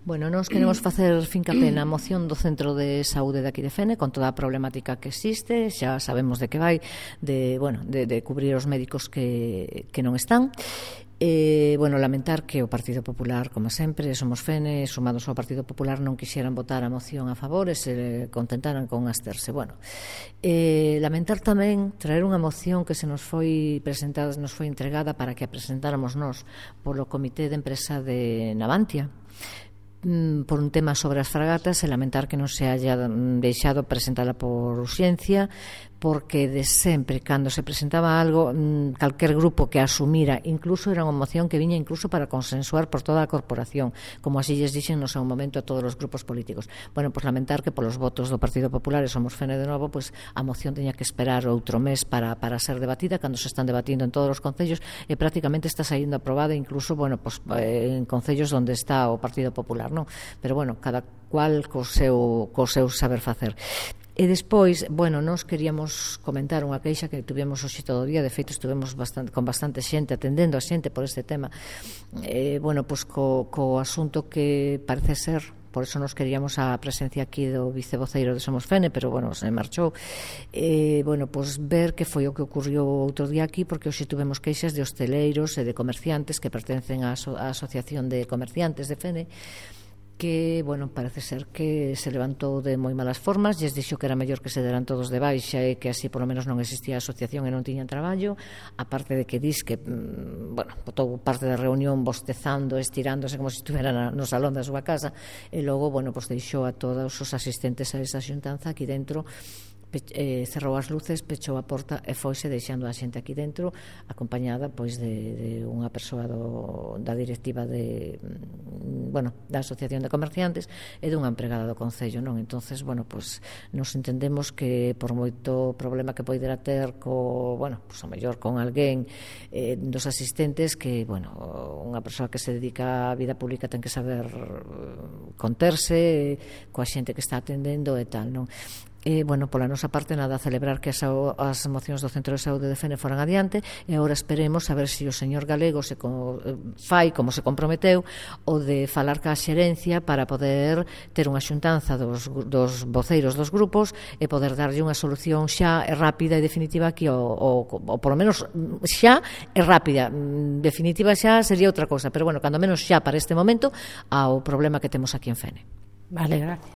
Bueno, nós queremos facer fincapé na moción do Centro de Saúde de aquí de Fene, con toda a problemática que existe, xa sabemos de que vai, de cubrir os médicos que non están. Lamentar que o Partido Popular, como sempre, Somos Fene, sumados ao Partido Popular, non quixeran votar a moción a favor e se contentaran con absterse. Lamentar tamén traer unha moción que se nos foi presentada, nos foi entregada para que a presentáramos nós polo Comité de Empresa de Navantia, por un tema sobre as fragatas, e lamentar que non se haya deixado presentada por urxencia, porque de sempre, cando se presentaba algo, calquer grupo que asumira, incluso era unha moción que viña incluso para consensuar por toda a corporación, como así lles dixen no seu momento a todos os grupos políticos. Lamentar que polos votos do Partido Popular e Somos Fene de novo, a moción teña que esperar outro mes para ser debatida, cando se están debatindo en todos os concellos e prácticamente está saindo aprobada incluso en concellos onde está o Partido Popular, non? Pero cada cual co seu saber facer. E despois, nós queríamos comentar unha queixa que tivemos hoxe todo o día. De feito, estivemos con bastante xente atendendo a xente por este tema, co asunto que parece ser, por eso nos queríamos a presencia aquí do vicevoceiro de Somos Fene, pero se marchou, ver que foi o que ocurriu outro día aquí, porque hoxe tivemos queixas de hosteleiros e de comerciantes que pertencen á Asociación de Comerciantes de Fene, que, parece ser que se levantou de moi malas formas, lles dixo que era mellor que se deran todos de baixa e que así polo menos non existía a asociación e non tiñan traballo, aparte de que dis que, botou parte da reunión bostezando, estirándose como se estuvera no salón da súa casa, e logo, deixou a todos os asistentes a esa xuntanza aquí dentro, cerrou as luces, pechou a porta e foise deixando a xente aquí dentro, acompañada de unha persoa da directiva da Asociación de Comerciantes e dunha empregada do Concello, non? Entonces, nos entendemos que por moito problema que poidera ter a mellor con alguén dos asistentes, que, unha persoa que se dedica á vida pública ten que saber conterse coa xente que está atendendo e tal, non? Pola nosa parte, nada, celebrar que as mocións do Centro de Saúde de Fene foran adiante, e agora esperemos a ver se o señor Galego fai como se comprometeu, o de falar ca xerencia para poder ter unha xuntanza dos voceiros dos grupos e poder darlle unha solución xa e rápida e definitiva aquí, ou polo menos xa e rápida. Definitiva xa sería outra cosa, pero cando menos xa para este momento ao problema que temos aquí en Fene. Vale, gracias.